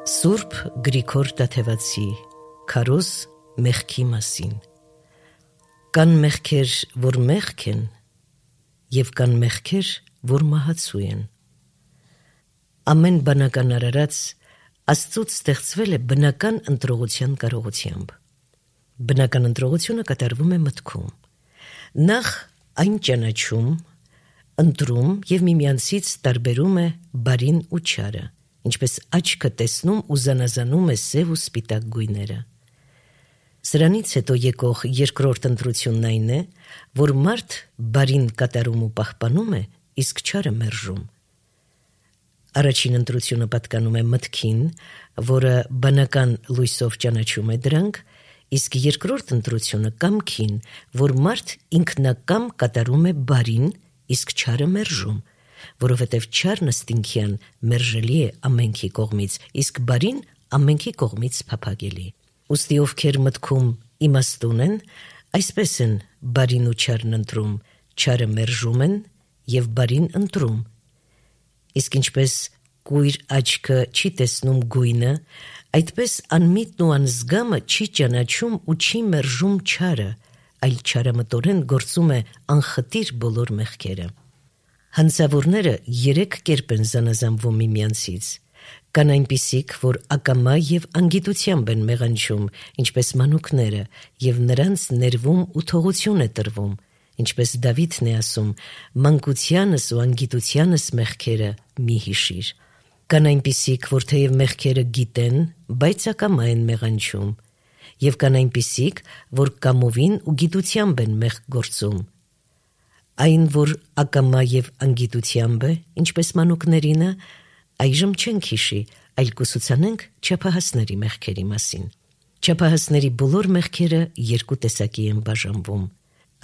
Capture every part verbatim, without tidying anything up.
Սուրբ Գրիգոր Տաթևացի Քարոզ մեղքի մասին։ Կան մեղքեր, որ մեղք են, և կան մեղքեր, որ մահացու են։ Ամեն բանական արարած Աստծուց ստեղծվել է բնական ընտրողության կարողությամբ։ Բնական ընտրողությունը կատարվում է մտքում։ Նախ այն ճանաչում, ընտրում և միմյանցից տարբերում է բարին ու չարը, ինչպես աչքը տեսնում ու զանազանում է սև ու սպիտակ գույները։ Սրանից հետո եկող երկրորդ ընտրությունն այն է, որ մարդ բարին կատարում ու պահպանում է, իսկ չարը մերժում։ Առաջին ընտրությունը պատկանում է մտքին, որը բանական լույսով ճանաչում է դրանք, իսկ երկրորդ ընտրությունը կամքին, որ մարդ ինքնակամ կատարում է բարին, իսկ չարը մերժում, որովհետև չարն ըստինքյան մերժելի է ամենքի կողմից, իսկ բարին ամենքի կողմից փափագելի։ Ուստի ովքեր մտքում իմաստուն են, այսպես են բարին ու չարն ընտրում, չարը մերժում են և բարին ընտրում։ Իսկ ինչպես կույր աչքը չի տեսնում գույնը, այդպես անմիտն ու անզգամը չի ճանաչում ու չի մերժում չարը, այլ չարամտորեն գործում է անխտիր բոլոր մեղքերը։ Հանցավորները երեք կերպ են զանազանվում միմյանցից։ Կան այնպիսիք, որ ակամա և անգիտությամբ են մեղանչում, ինչպես մանուկները, և նրանց ներվում ու թողություն է տրվում, ինչպես Դավիթն է ասում. «Մանկությանս ու անգիտությանս մեղքերը մի հիշիր»։ Կան այնպիսիք, որ թեև մեղքերը գիտեն, բայց ակամա են մեղանչում, և կան այնպիսիք, որ կամովին ու գիտությամբ են մեղք գործում։ Այն, որ ակամա և անգիտությամբ է, ինչպես մանուկներինը, այժմ չենք հիշի, այլ կուսուցանենք չափահասների մեղքերի մասին։ Չափահասների բոլոր մեղքերը երկու տեսակի են բաժանվում։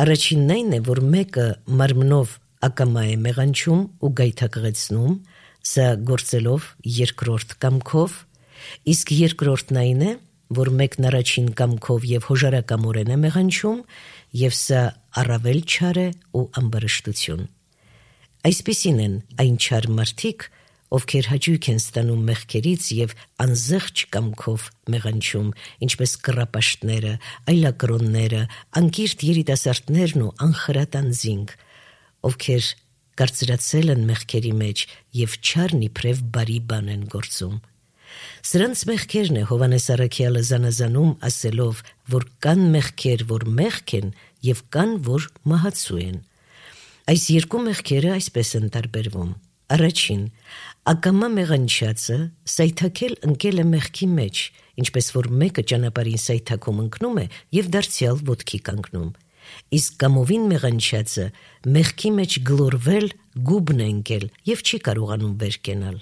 Առաջինն այն է, որ մեկը մարմնով ակամա է մեղանչում ու գայթակղեցնում, սա գործելով երկրորդ կամքով, իսկ երկրորդն այն է, որ մեկն առաջին կամքով և հոժարակամորեն է մեղանչում, և սա առավել չար է ու ամբարշտություն։ Այսպիսին են այն չար մարդիկ, ովքեր հաճույք են ստանում մեղքերից և անզեղչ կամքով մեղանչում, ինչպես կռապաշտները, այլակրոնները, անկիրթ երիտասարդներն ու անխրատ անձինք, ովքեր կարծրացել են մեղքերի մեջ և չարն իբրև բարի բան են գործում։ Սրանց մեղքերն է Հովհաննես առաքյալը զանազանում ասելով, որ կան մեղքեր, որ մեղք են, և կան, որ մահացու են։ Այս երկու մեղքերը այսպես են տարբերվում։ Առաջին, ակամա մեղանչածը սայթաքել ընկել է մեղքի մեջ, ինչպես որ մեկը ճանապարհին սայթաքում ընկնում է և դարձյալ ոտքի կանգնում, իսկ կամովին մեղանչածը մեղքի մեջ գլորվել գուբն է ընկել և չի կարողանում վեր կենալ։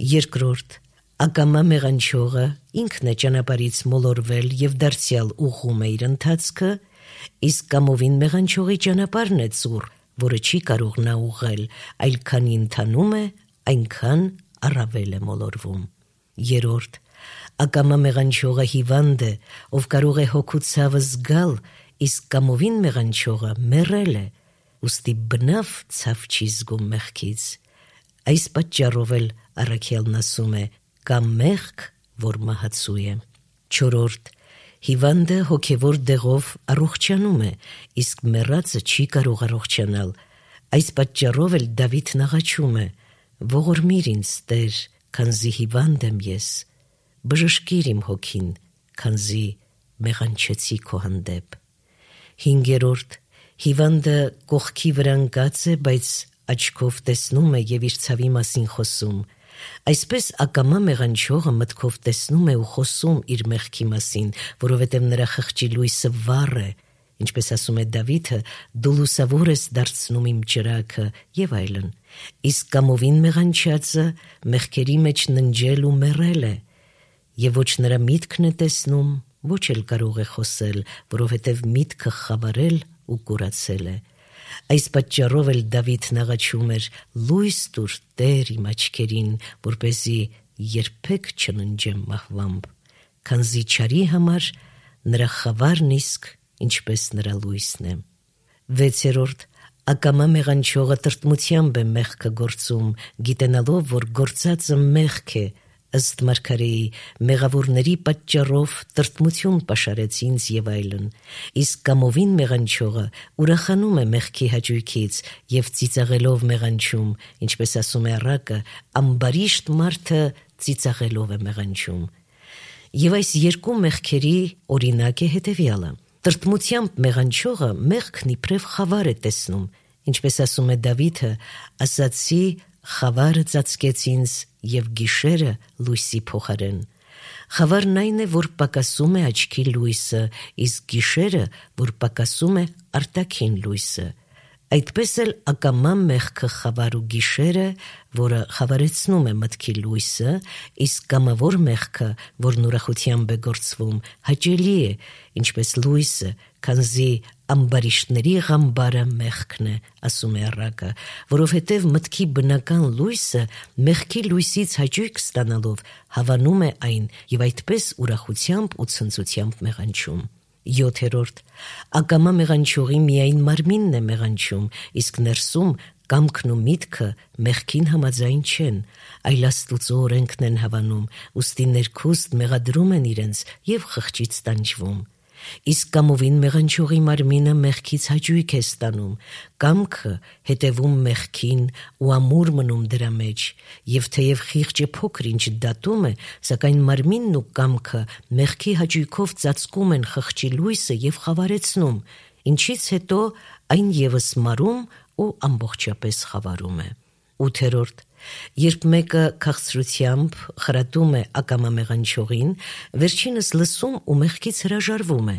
Երկրորդ, ակամա մեղանչողը ինքն է ճանապարհից մոլորվել և դարձյալ ուղղում է իր ընթացքը, իսկ կամովին մեղանչողի ճանապարհն է ծուռ, որը չի կարող նա ուղղել, այլ քանի ընթանում է, այնքան առավել է մոլորվում։ Երրորդ, ակամա մեղանչողը հիվանդ է, ով կարող է հոգու ցավը զգալ, իսկ կամովին մեղանչողը մեռել է, ուստի բնավ ցավ չի զգում մեղքից։ Այս պատճառով էլ առաքյալն ասում է. «Կա մեղք, որ մահացու է»։ Չորրորդ, հիվանդը հոգևոր դեղով առողջանում է, իսկ մեռածը չի կարող առողջանալ։ Այս պատճառով էլ Դավիթն աղաչում է. «Ողորմիր ինձ, Տեր, քանզի հիվանդ եմ ես, բժշկիր իմ հոգին, քանզի մեղանչեցի քո հանդեպ»։ Հինգերորդ, հիվանդը կողքի վրա ընկած է, բայց աչքով տեսնում է և իր ցավի մասին խոսում։ Այսպես ակամա մեղանչողը մտքով տեսնում է ու խոսում իր մեղքի մասին, որովհետև նրա խղճի լույսը վառ է, ինչպես ասում է Դավիթը. «Դու լուսավոր ես դարձնում իմ ճրագը» և այլն։ Իսկ կամովին մեղանչածը մեղքերի մեջ ննջել ու մեռել է, և ոչ նրա միտքն է տեսնում, ոչ էլ կարող է խոսել, որովհետև միտքը խավարել ու կուրացել է։ Այս պատճառով էլ Դավիթն աղաչում էր. «Լույս տուր, Տեր, իմ աչքերին, որպեսզի երբեք չննջեմ մահվամբ, քանզի չարի համար նրա խավարն իսկ ինչպես նրա լույսն է»։ Վեցերորդ, ակամա մեղանչողը տրտմությամբ է մեղքը գործում, գիտենալով, որ գործածը մեղք է, ըստ մարգարեի մեղավորների պատճառով տրտմություն պաշարեց ինձ եւ այլն, իսկ կամովին մեղանչողը ուրախանում է մեղքի հաճույքից եւ ծիծաղելով մեղանչում, ինչպես ասում է առակը, ամբարիշտ մարդը ծիծաղելով է մեղանչում։ Եվ այս երկու մեղքերի օրինակ է հետևյալը. տրտմությամբ մեղանչողը մեղքն իբրև խավար է տեսնում, ինչպես ասում է Դավիթը, ասացի խավարը ծածկեց ինձ եւ գիշերը լույսի փոխարեն։ Խավարն այն է, որ պակասում է աչքի լույսը, իսկ գիշերը, որ պակասում է արտաքին լույսը։ Այդպես էլ ակամա մեղքը խավար ու գիշերը, որը խավարեցնում է մտքի լույսը, իսկ կամավոր մեղքը, որն ուրախությամբ է գործվում, հաճելի է, ինչպես լույսը, քանզի ամբարիշտների ղամբարը մեղքն է, ասում է առակը, որովհետև մտքի բնական լույսը մեղքի լույսից հաճույք ստանալով հավանում է այն եւ այդպես ուրախությամբ ու ցնծությամբ մեղանչում։ յոթերորդ Ակամա մեղանչողի միայն մարմինն է մեղանչում, իսկ ներսում կամքն ու միտքը մեղքին համաձայն չեն, այլ Աստուծո օրենքն են հավանում, ուստի ներքուստ մեղադրում են իրենց եւ խղճից տանջվում։ Իսկ կամովին մեղանչողի մարմինը մեղքից հաճույք է ստանում, կամքը հետևում մեղքին ու ամուր մնում դրա մեջ, եւ թեև խիղճը փոքր ինչ դատում է, սակայն մարմինն ու կամքը մեղքի հաճույքով ծածկում են խղճի լույսը եւ խավարեցնում, ինչից հետո այն եւս մարում ու ամբողջապես խավարում է։ ութերորդ Երբ մեկը քաղցրությամբ խրատում է ակամա մեղանչողին, վերջինս լսում ու մեղքից հրաժարվում է,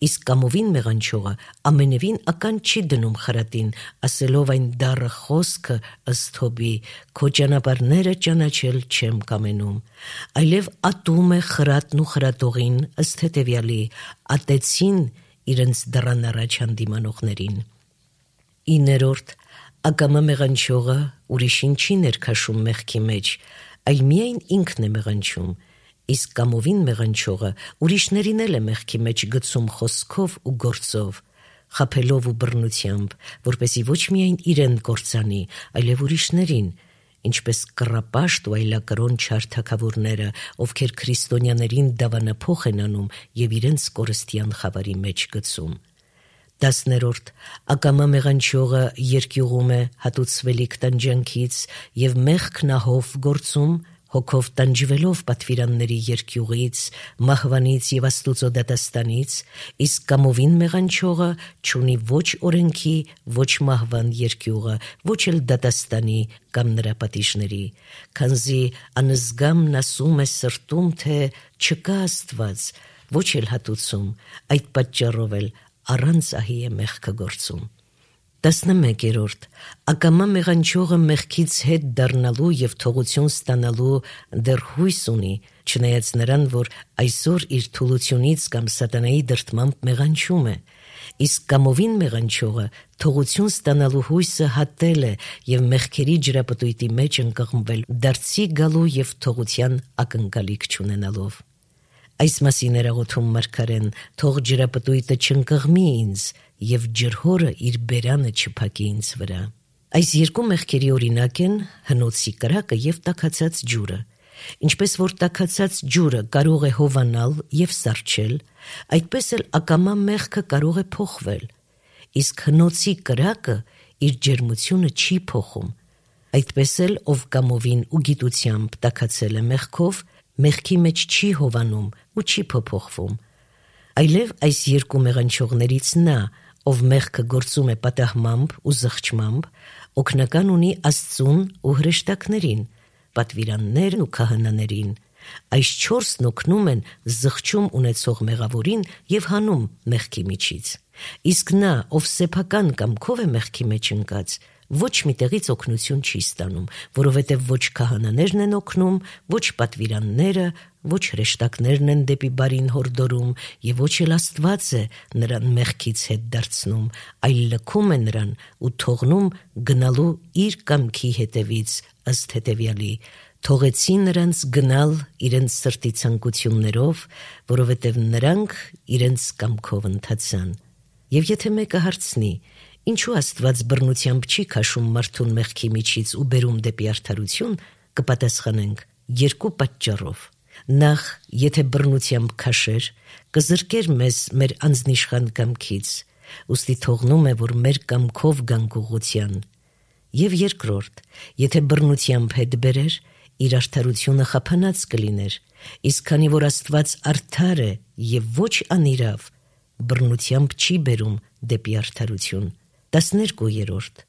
իսկ կամովին մեղանչողը ամենևին ական չի դնում խրատին, ասելով այն դառը խոսքը ըստ Հոբի, քո ճանապարհները ճանաչել չեմ կամենում, այլև ատում է խրատն ու խրատողին ըստ հետևյալի, ատեցին իրենց դռան առաջ հանդիմանողներին։ իններորդ Ակամա մեղանչողը ուրիշին չի ներքաշում մեղքի մեջ, այլ միայն ինքն է մեղանչում, իսկ կամովին մեղանչողը ուրիշներին էլ է մեղքի մեջ գցում խոսքով ու գործով, խաբելով ու բռնությամբ, որպեսզի ոչ միայն իրեն կործանի, այլև ուրիշներին, ինչպես կռապաշտ ու այլակրոն չար թագավորները, ովքեր քրիստոնյաներին դավանափոխ են անում եւ իրենց կորստյան խավարի մեջ գցում։ Տասներորդ Ակամա մեղանչողը երկյուղում է հատուցվելիք տանջանքից եւ մեղքն ահով գործում, հոգով տանջվելով պատվիրանների երկյուղից, մահվանից եւ Աստուծո դատաստանից, իսկ կամովին մեղանչողը չունի ոչ օրենքի, ոչ մահվան երկյուղը, ոչ էլ դատաստանի կամ նրա պատիժների, քանզի անզգամն ասում է սրտում, թե չկա Աստված, ոչ էլ հատուցում, այդ պատճառով էլ առանց ահի է մեղքը գործում։ Տասնմեկերորդ Ակամա մեղանչողը մեղքից հետ դառնալու եւ թողություն ստանալու դեռ հույս ունի, չնայած նրան, որ այսօր իր թուլությունից կամ սատանայի դրդմամբ մեղանչում է, իսկ կամովին մեղանչողը թողություն ստանալու հույսը հատել է եւ մեղքերի ջրապտույտի մեջ ընկղմվել դարձի գալու եւ թողության ակնկալիք չունենալով։ Այս մասին էր աղոթում մարգարեն, թող ջրապտույտը չընկղմի ինձ եւ ջրհորը իր բերանը չփակի ինձ վրա։ Այս երկու մեղքերի օրինակ են հնոցի կրակը եւ տաքացած ջուրը։ Ինչպես որ տաքացած ջուրը կարող է հովանալ եւ սառչել, այդպես էլ ակամա մեղքը կարող է փոխվել, իսկ հնոցի կրակը իր ջերմությունը չի փոխում։ Այդպես էլ ով կամովին ու գիտությամբ տաքացել է մեղքով, մեղքի մեջ չի հովանում ու չի փոփոխվում, այլև այս երկու մեղանչողներից նա, ով մեղքը գործում է պատահմամբ ու զղջմամբ, օգնական ունի Աստծուն ու հրեշտակներին, պատվիրաններն ու քահանաներին, այս չորսն օգնում են զղջում ունեցող մեղավորին եւ հանում մեղքի միջից, իսկ նա, ով սեփական կամքով է մեղքի մեջ ընկած, ոչ միտեղից օգնություն չի ստանում, որովհետև ոչ քահանաներն են օգնում, ոչ պատվիրանները, ոչ հրեշտակներն են դեպի բարին հորդորում եւ ոչ էլ Աստված է նրան մեղքից հետ դարձնում, այլ լքում է նրան ու թողնում գնալու իր կամքի հետևից ըստ հետևյալի. թողեցի նրանց գնալ իրենց սրտի ցանկություններով, որովհետև նրանք իրենց կամքով ընթացան։ Եվ եթե մեկը հարցնի, ինչու Աստված բռնությամբ չի քաշում մարդուն մեղքի միջից ու բերում դեպի արդարություն, կպատասխանենք, երկու պատճառով. նախ, եթե բռնությամբ քաշեր, կզրկեր մեզ մեր անձնիշխան կամքից, ուստի թողնում է, որ մեր կամքով գանք ուղղության, եւ երկրորդ, եթե բռնությամբ հետ բերեր, իր արդարությունը խափանած կլիներ, իսկ քանի որ Աստված արդար է եւ ոչ անիրավ, բռնությամբ չի բերում դեպի արդարություն։ տասներկուերորդ.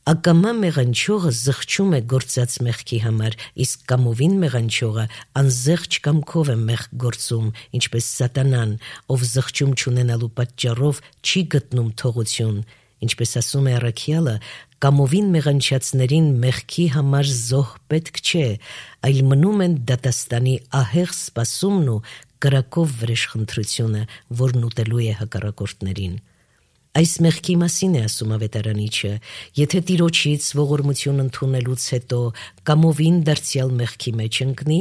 Ակամա մեղանչողը զղջում է գործած մեղքի համար, իսկ կամովին մեղանչողը անզեղջ կամքով է մեղք գործում, ինչպես Սատանան, ով զղջում չունենալու պատճառով չի գտնում թողություն, ինչպես ասում է առաքյալը, կամովին մեղանչածներին մեղքի համար զոհ պետք չէ, այլ մնում են դատաստանի ահեղ սպասումն ու կրակով վրեժխնդրությունը, որն ուտելու է հակառակորդներին։ Այս մեղքի մասին է ասում ավետարանիչը, եթե Տիրոջից ողորմություն ընդունելուց հետո կամովին դարձյալ մեղքի մեջ ընկնի,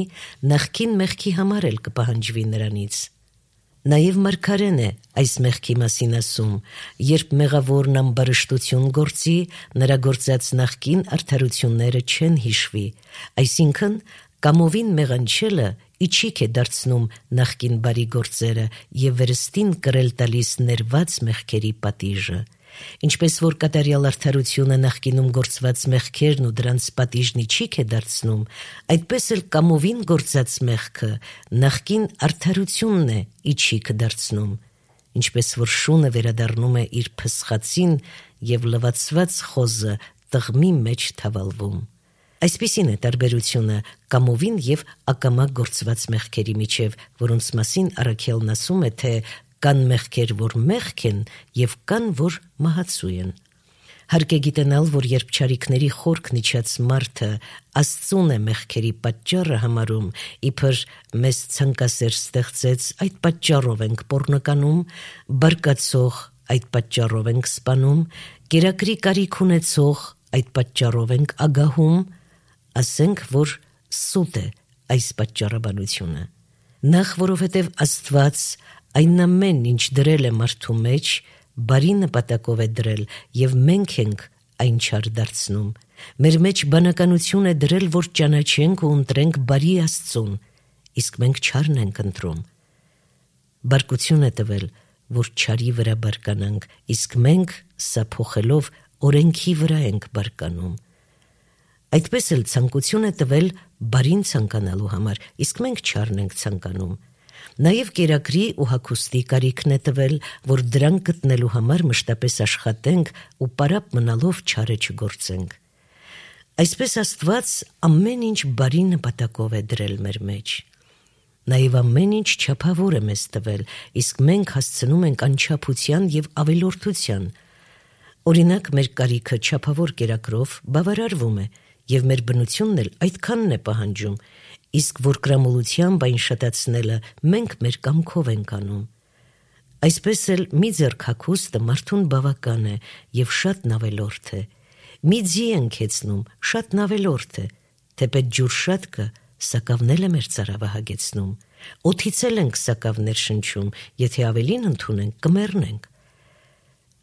նախկին մեղքի համար էլ կպահանջվի նրանից։ Նաև մարգարեն է այս մեղքի մասին ասում, երբ մեղավորն ամբարշտություն գործի, նրա գործած նախկին արդարությունները չեն հիշվի, այսինքն կամովին մեղանչելը իջիկ է դարձնում նախկին բարի գործերը եւ վերստին կրել տալիս ներված մեղքերի պատիժը, ինչպես որ կատարյալ արդարությունը նախկինում գործված մեղքերն ու դրանց պատիժն իջիկ է դարձնում, այդպես էլ կամովին գործած մեղքը նախկին արդարությունն է իջիկ դարձնում, ինչպես որ շունը վերադառնում է իր փսխացին եւ լվացված խոզը տղմի մեջ թավալվում։ Այսպիսին է տարբերությունը կամովին եւ ակամա գործված մեղքերի միջև, որոնց մասին առաքյալն ասում է, թե կան մեղքեր, որ մեղք են եւ կան, որ մահացու են։ Հարկ է գիտենալ, որ երբ չարիքների խորքն իջած մարդը Աստծուն է մեղքերի պատճառը համարում, իբր մեզ ցանկասեր ստեղծեց, այդ պատճառով ենք պոռնականում, բարկացող այդ պատճառով ենք սպանում, կերակրի կարիք ունեցող այդ պատճառով ենք ագահում, ասենք, որ սուտ է այս պատճառաբանությունը։ Նախ, որովհետև Աստված այն ամեն ինչ դրել է մարդու մեջ, բարի նպատակով է դրել եւ մենք ենք այն չար դարձնում։ Մեր մեջ բանականություն է դրել, որ ճանաչենք ու ընտրենք բարի Աստծուն, իսկ մենք չարն ենք ընտրում։ Բարկություն է տվել, որ չարի վրա բարկանանք, իսկ մենք սա փոխելով օրենքի վրա ենք բարկանում։ Այդպես էլ ցանկություն է տվել բարին ցանկանալու համար, իսկ մենք չարն ենք ցանկանում։ Նաև կերակրի ու հագուստի կարիքն է տվել, որ դրանք գտնելու համար մշտապես աշխատենք ու պարապ մնալով չարը չգործենք։ Այսպես Աստված ամեն ինչ բարի նպատակով է դրել մեր մեջ։ Նաև ամեն ինչ չափավոր է մեզ տվել, իսկ մենք հասցնում ենք անչափության եւ ավելորդության։ Օրինակ, մեր կարիքը չափավոր կերակրով բավարարվում է, եւ մեր բնությունն էլ այդքանն է պահանջում, իսկ որ կրամոլությամբ այն շատացնելը մենք մեր կամքով ենք անում։ Այսպես էլ մի ձեռք հագուստը մարդուն բավական է եւ շատ նավելորդ է։ Մի ձի ենք հեծնում, շատ նավելորդ է, թեպետ ջուր շատ կը, սակավն էլ է մեր ծարավը հագեցնում։ Օդից էլ ենք սակավներ շնչում, եթե ավելին ընդունենք, կմեռնենք։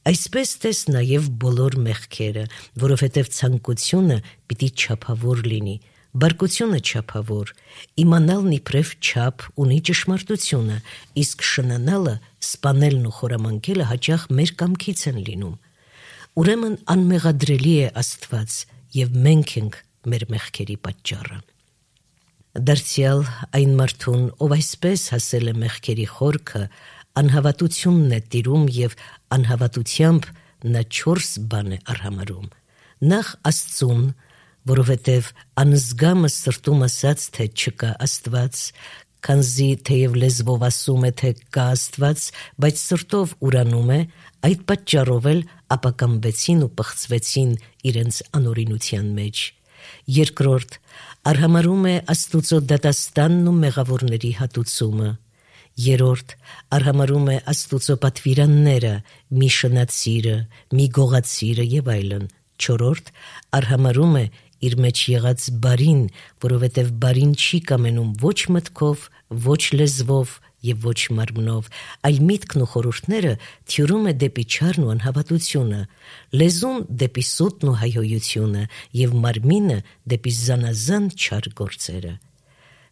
Այսպես տես նաև բոլոր մեղքերը, որովհետև ցանկությունը պիտի չափավոր լինի, բարկությունը չափավոր, իմանալն իբրև չափ ունի ճշմարտությունը, իսկ շնանալը, սպանելն ու խորամանկելը հաճախ մեր կամքից են լինում։ Ուրեմն անմեղադրելի է Աստված, եւ մենք ենք մեր մեղքերի պատճառը։ Դարձյալ այն մարդուն, ով այսպես հասել է մեղքերի խորքը, անհավատությունն է տիրում եւ անհավատությամբ նա չորս բան է արհամարում։ Նախ Աստծուն, որովհետև անզգամը սրտում ասաց, թե չկա Աստված, քանզի թեև լեզվով ասում է, թե կա Աստված, բայց սրտով ուրանում է, այդ պատճառով էլ ապակամվեցին ու պղծվեցին իրենց անօրինության մեջ։ Երկրորդ, արհամարում է Աստուծո դատաստանն ու մեղավորների հատուցումը։ Երորդ, արհամարում է Աստուծո պատվիրանները, մի շնացիրը, մի գողացիրը եւ այլն։ Չորրորդ, արհամարում է իր մեջ եղած բարին, որովհետև բարին չի կամենում ոչ մտքով, ոչ լեզվով եւ ոչ մարմնով, այլ միտքն ու խորհուրդները թյուրում է դեպի չարն ու անհավատությունը, լեզուն դեպի սուտն ու հայհոյությունը եւ մարմինը դեպի զանազան չար գործերը։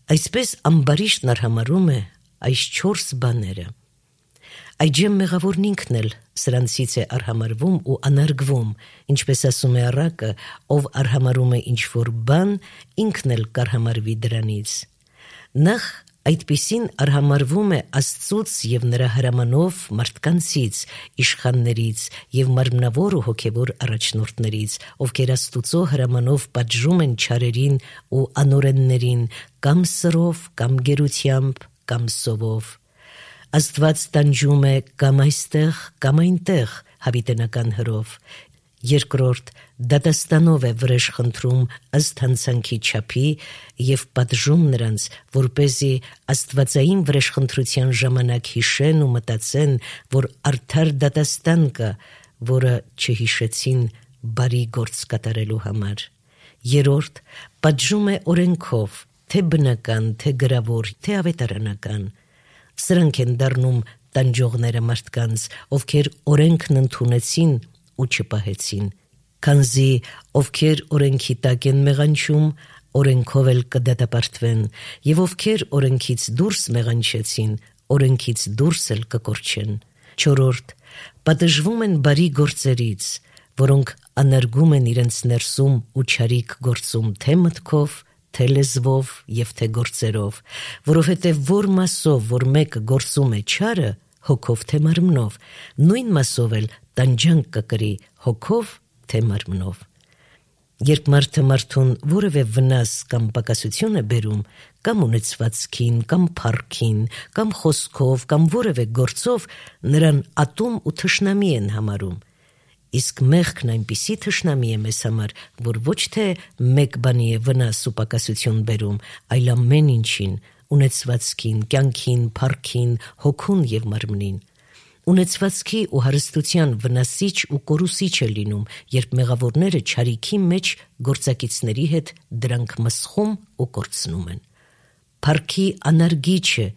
Այսպես ամբարիշտն արհամարում է այս չորս բաները։ Այջեմ մեղավորն ինքն էլ սրանցից է արհամարվում ու անարգվում, ինչպես ասում է առակը, ով արհամարում է ինչ-որ բան, ինքն էլ կարհամարվի դրանից։ Նախ այդպիսին արհամարվում է Աստծուց և նրա հրամանով մարդկանցից, իշխաններից և մարմնավոր ու հոգևոր առաջնորդներից, ովքեր Աստուծո հրամանով պատժում են չարերին ու անօրեններին, կամ սրով, կամ գերությամբ, կամ սովով։ Աստված տանջում է կամ այստեղ, կամ այնտեղ հավիտենական հրով։ Երկրորդ, դատաստանով է վրեժ խնդրում ըստ հանցանքի չափի և պատժում նրանց, որպեսզի աստվածային վրեժխնդրության ժամանակ հիշեն ու մտածեն, որ արդար դատաստան կա, որը չհիշեցին բարի գործ կատարելու համար։ Երրորդ, պատժում է օրենքով, թե բնական, թե գրավոր, թե ավետարանական։ Սրանք են դառնում տանջողները մարդկանց, ովքեր օրենքն ընդունեցին ու չպահեցին, քանզի ովքեր օրենքի տակ են մեղանչում, օրենքով էլ կդատապարտվեն, և ովքեր օրենքից դուրս մեղանչեցին, օրենքից դուրս էլ կկորչեն։ Չորրորդ, պատժվում են բարի գործերից, որոնք անարգում են իրենց ներսում ու չարիք գործում թե մտքով, թե լեզվով և թե գործերով, որովհետև որ մասով, որ մեկը գործում է չարը, հոգով թե մարմնով, նույն մասով էլ տանջանք կկրի հոգով թե մարմնով։ Երբ մարդը մարդուն որևէ վնաս կամ պակասություն է բերում, կամ ունեցվածքին, կամ փառքին, կամ խոսքով, կամ որևէ գործով, նրան ատում ու թշնամի են համարում։ Իսկ մեղքն այնպիսի թշնամի է մեզ համար, որ ոչ թե մեկ բանի է վնաս ու պակասություն բերում, այլ ամեն ինչին, ունեցվածքին, կյանքին, փառքին, հոգուն և մարմնին։ Ունեցվածքի ու հարստության վնասիչ ու կորուսիչ է լինում, երբ մեղավորները չարիքի մեջ գործակիցների հետ դրանք մսխում ու կորցնում են։ Փառքի անարգիչ է,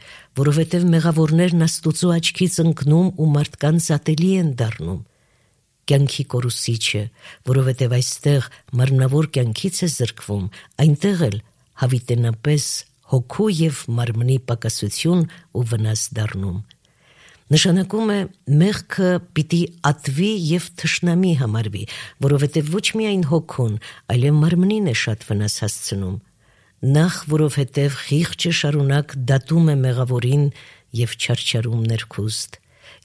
որովհետև մեղավորներն Աստուծո աչքից ընկնում ու մարդկանց ատելի են դառնում։ Կյանքի կորուսիչ է, որովհետև այստեղ մարմնավոր կյանքից է զրկվում, այնտեղ էլ հավիտենապես հոգու և մարմնի պակասություն ու վնաս դառնում։ Նշանակում է մեղքը պիտի ատվի և թշնամի համարվի, որովհետև ոչ միայն հոգուն, այլև մարմնին է շատ վնաս հասցնում։ Նախ, որովհետև խիղճը շարունակ դատում է մեղավորին և չարչարում ներքուստ։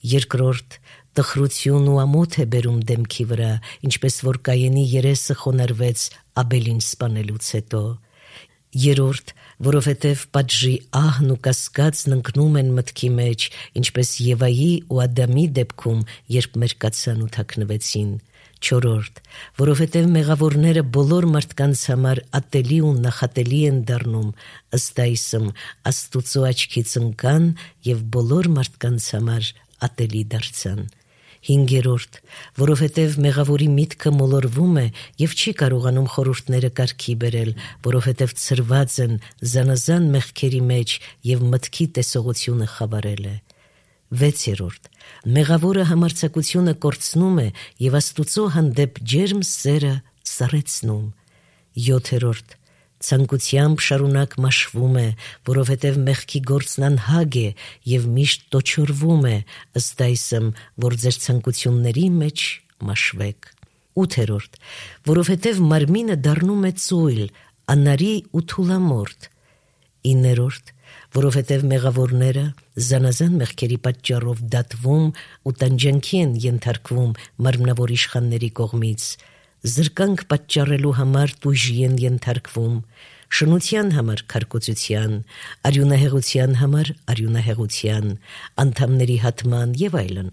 Երկրորդ, տխրություն ու ամոթ է բերում դեմքի վրա, ինչպես որ Կայենի երեսը խոնարհվեց Աբելին սպանելուց հետո։ Երրորդ, որովհետև պատժի ահն ու կասկածն ընկնում են մտքի մեջ, ինչպես Եվայի ու Ադամի դեպքում, երբ մերկացան ու թաքնվեցին։ Չորրորդ, որովհետև մեղավորները բոլոր մարդկանց համար ատելի ու նախատելի են դառնում, ըստ այսմ Աստուծո աչքից ընկան և բոլոր մարդկանց համար ատելի դարձան։ Հինգերորդ, որովհետև մեղավորի միտքը մոլորվում է և չի կարողանում խորհուրդները կարգի բերել, որովհետև ցրված են զանազան մեղքերի մեջ և մտքի տեսողությունը խավարել է։ Վեցերորդ, մեղավորը համարձակությունը կորցնում է և Աստուծո հանդեպ ջերմ սերը սառեցնում։ Յոթերորդ, ցանկությամբ շարունակ մաշվում է, որովհետև մեղքի գործն անհագ է և միշտ տոչորվում է, ըստ այսմ, որ ձեր ցանկությունների մեջ մաշվեք։ Ութերորդ, որովհետև մարմինը դառնում է ծույլ, անարի ու թուլամորթ։ Իններորդ, որովհետև մեղավորները զանազան մեղքերի պատճառով դատվում ու տանջանքի են ենթարկվում մարմնավոր իշխանների կողմից, զրկանք պատճառելու համար տույժի են ենթարկվում, շնության համար քարկոծության, արյունահեղության համար արյունահեղության, անդամների հատման և այլն։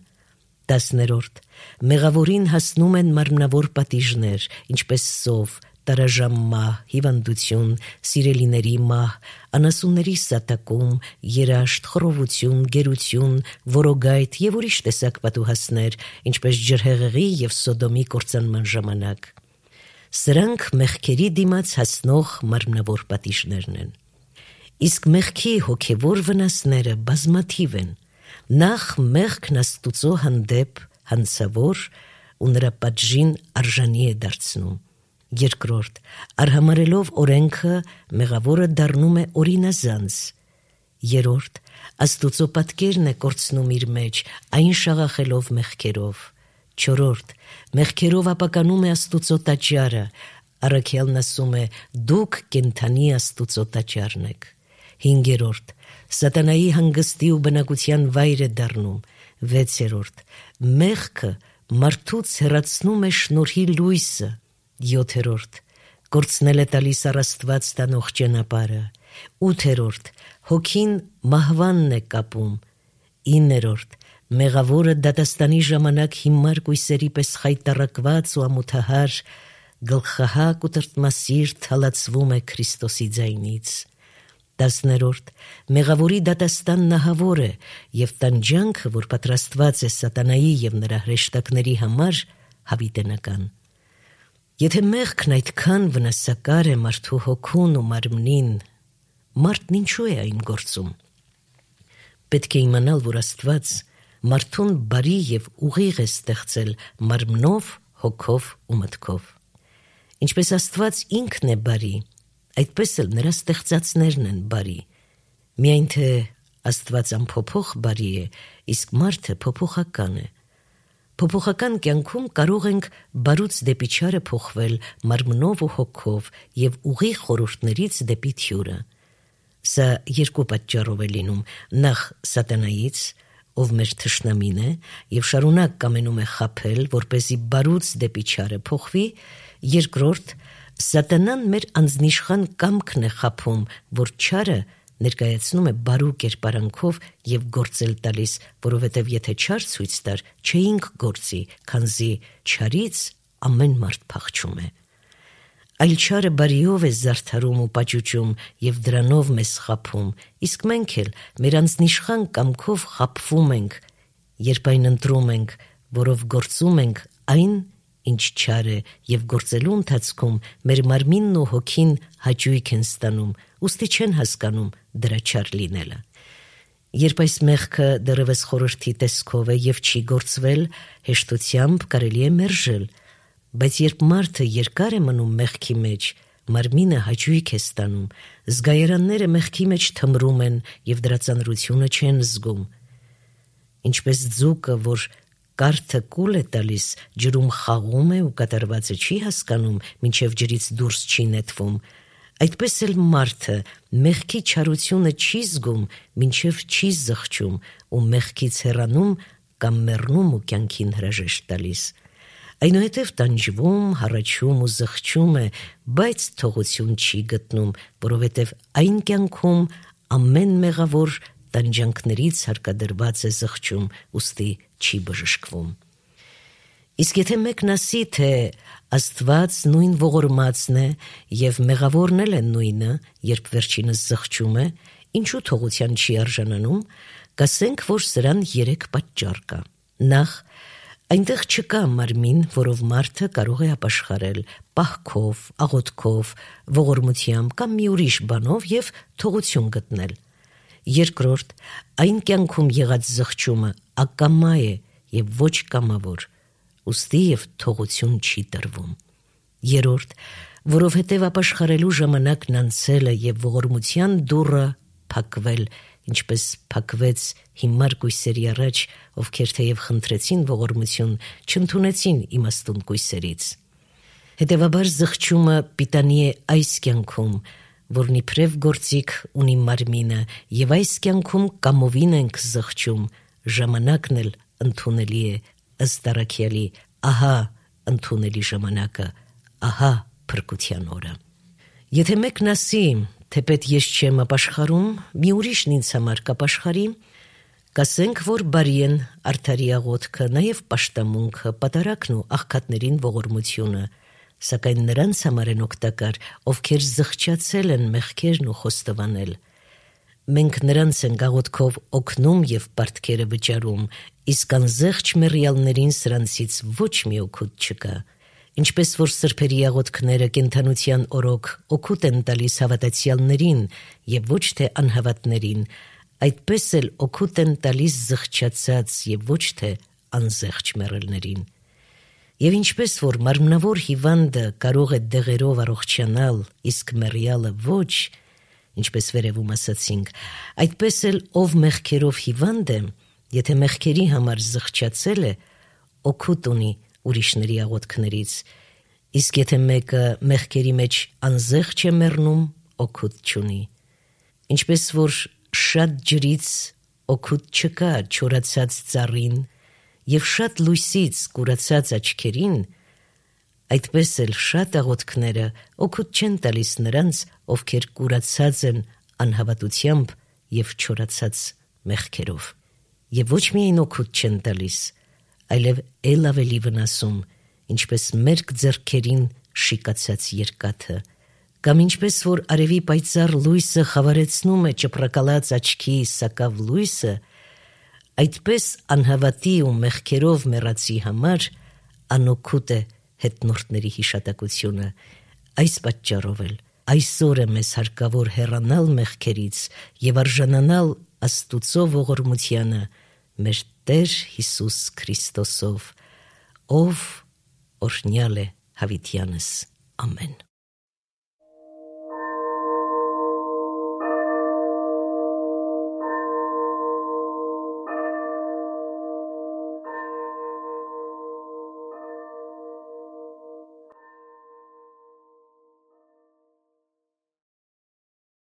Տասներորդ, մեղավորին հասնում են մարմնավոր պատիժներ, ինչպես սով, տարաժամ մահ, հիվանդություն, սիրելիների մահ, անասունների սատակում, երաշտ, խռովություն, գերություն, որոգայթ և ուրիշ տեսակ պատուհասներ, ինչպես ջրհեղեղի և Սոդոմի կործանման ժամանակ։ Սրանք մեղքերի դիմաց հասնող մարմնավոր պատիժներն են։ Իսկ մեղքի հոգևոր վնասները բազմաթիվ են։ Նախ մեղքն Աստուծո հանդեպ հանցավոր ու նրա պատժին արժանի է դարձնում։ Երկրորդ, արհամարելով օրենքը մեղավորը դառնում է օրինազանց։ Երրորդ, Աստուծո պատկերն է կորցնում իր մեջ, այն շաղախելով մեղքերով։ Չորրորդ, մեղքերով ապականում է Աստուծո տաճարը, առաքյալն ասում է՝ դուք կենդանի Աստուծո տաճարն եք։ Հինգերորդ, սատանայի հանգստի ու բնակության վայր է դառնում։ Վեցերորդ, մեղքը մարդուց հեռացնում է շնորհի լույսը։ Յոթերորդ, կորցնել է տալիս առ Աստված տանող ճանապարհը։ Ութերորդ, հոգին մահվանն է կապում։ Իններորդ, մեղավորը դատաստանի ժամանակ հիմար կույսերի պես խայտառակված ու ամոթահար, գլխահակ ու տրտմասիրտ հալածվում է Քրիստոսի ձայնից։ Տասներորդ, մեղավորի դատաստանն ահավոր է, և տանջանքը, որ պատրաստված է սատանայի և նրա հրեշտակների համար, հավիտենական։ Եթե մեղքն այդքան վնասակար է մարդու հոգուն ու մարմնին, մարդն ինչու է այն գործում։ Պետք է իմանալ, որ Աստված մարդուն բարի և ուղիղ է ստեղծել մարմնով, հոգով ու մտքով։ Ինչպես Աստված ինքն է բարի, այդպես էլ նրա ստեղծածներն են բարի։ Միայն թե Աստված անփոփոխ բարի է, իսկ մարդը փոփոխական է։ Փոփոխական կյանքում կարող ենք բարուց դեպի չարը փոխվել մարմնով ու հոգով և ուղիղ խորհուրդներից դեպի թյուրը։ Սա երկու պատճառով է լինում. նախ սատանայից, ով մեր թշնամին է և շարունակ կամենում է խաբել, որպեսզի բարուց դեպի չարը փոխվի, երկրորդ, սատանան մեր անձնիշխան կամքն է խաբում, որ չարը ներկայացնում է բարու կերպարանքով և գործել տալիս, որովհետև եթե չար ցույց տար, չէինք գործի, քանզի չարից ամեն մարդ փախչում է։ Այլ չարը բարիով է զարդարում ու պաճուճում և դրանով մեզ խաբում, իսկ մենք էլ մեր անձնիշխան կամքով խաբվում ենք, երբ այն ընտրում ենք, որով գործում ենք այն, ինչ չար է, և գործելու ընթացքում մեր մարմինն ու հոգին հաճույք են ստանում, ուստի չեն հասկանում դրա չար լինելը։ Երբ այս մեղքը դեռևս խորհրդի տեսքով է և չի գործվել, հեշտությամբ կարելի է մերժել, բայց երբ մարդը երկար է մնում մեղքի մեջ, մարմինը հաճույք է ստանում, զգայարանները մեղքի մեջ թմրում են և դրա ծանրությունը չեն զգում։ Ինչպես ձուկը, որ կարթը կուլ է տալիս, ջրում խաղում է ու կատարվածը չի հասկանում, մինչև ջրից դուրս չի նետվում, այդպես էլ մարդը մեղքի չարությունը չի զգում, մինչև չի զղջում ու մեղքից հեռանում կամ մեռնում ու կյանքին հրաժեշտ տալիս։ Այնուհետև տանջվում, հառաչում ու զղջում է, բայց թողություն չի գտնում, որովհետև այն կյանքում ամեն մեղավոր տանջանքներից հարկադրված է զղջում, ուստի չի բժշկվում։ Իսկ եթե մեկն ասի, թե Աստված նույն ողորմածն է և մեղավորն էլ է նույնը, երբ վերջինս զղջում է, ինչու թողության չի արժանանում, կասենք, որ սրան երեք պատճառ կա։ Նախ, այնտեղ չկա մարմին, որով մարդը կարող է ապաշխարել պահքով, աղոթքով, ողորմությամբ կամ մի ուրիշ բանով և թողություն գտնել։ Երկրորդ, այն կյանքում եղած զղջումը ակամա է և ոչ կամավոր, ուստի և թողություն չի տրվում։ Երրորդ, որովհետև ապաշխարելու ժամանակն անցել է և ողորմության դուռը փակվել, ինչպես փակվեց հիմար կույսերի առաջ, ովքեր թեև խնդրեցին ողորմություն, չընդունեցին իմաստուն կույսերից։ Հետևաբար զղջումը պիտանի է այս կյանքում, որն իբրև գործիք ունի մարմինը, և այս կյանքում կամովին ենք զղջում, ժամանակն էլ ընդունելի է ըստ առաքյալի, ահա ընդունելի ժամանակը, ահա փրկության օրը։ Եթե մեկն ասի, թեպետ ես չեմ ապաշխարում, մի ուրիշն ինձ համար կապաշխարի, կասենք, որ բարի են արդարի աղոթքը, նաև պաշտամունքը, պատարագն ու աղքատներին ողորմությունը, սակայն նրանց համար են օգտակար, ովքեր զղջացել են մեղքերն ու խոստովանել։ Մենք նրանց ենք աղոթքով օգնում և պարտքերը վճարում, իսկ անզեղջ մեռյալներին սրանցից ոչ մի օգուտ չկա։ Ինչպես որ սրբերի աղոթքները կենդանության օրոք օգուտ են տալիս հավատացյալներին և ոչ թե անհավատներին, այդպես էլ օգուտ են տալիս զղջացած և ոչ թե անզեղջ մեռելներին։ Եվ ինչպես որ մարմնավոր հիվանդը կարող է դեղերով առողջանալ, իսկ մեռյալը ոչ, ինչպես վերևում ասացինք, այդպես էլ ով մեղքերով հիվանդ է, եթե մեղքերի համար զղջացել է, օգուտ ունի ուրիշների աղոթքներից, իսկ եթե մեկը մեղքերի մեջ անզեղջ է մեռնում, օգուտ չունի։ Ինչպես որ շատ ջրից օգուտ չկա չորացած ծառին և շատ լույսից կուրացած աչքերին, այդպես էլ շատ աղոթքները օգուտ չեն տալիս նրանց, ովքեր կուրացած են անհավատությամբ և չորացած մեղքերով։ Եվ ոչ միայն օգուտ չեն տալիս, այլև էլ ավելի վնասում, ինչպես մերկ ձեռքերին շիկացած երկաթը, կամ ինչպես որ արևի պայծառ լույսը խավարեցնում է ճպրակալած աչքի սակավ լույսը, այդպես անհավատի ու մեղքերով մեռածի համար անօգուտ է հետնորդների հիշատակությունը։ Այս պատճառով էլ այսօր է մեզ հարկավոր հեռանալ մեղքերից և արժանանալ Աստուծո ողորմությանը մեր Տեր Հիսուս Քրիստոսով, ով օրհնյալ է հավիտյանս։ Ամեն։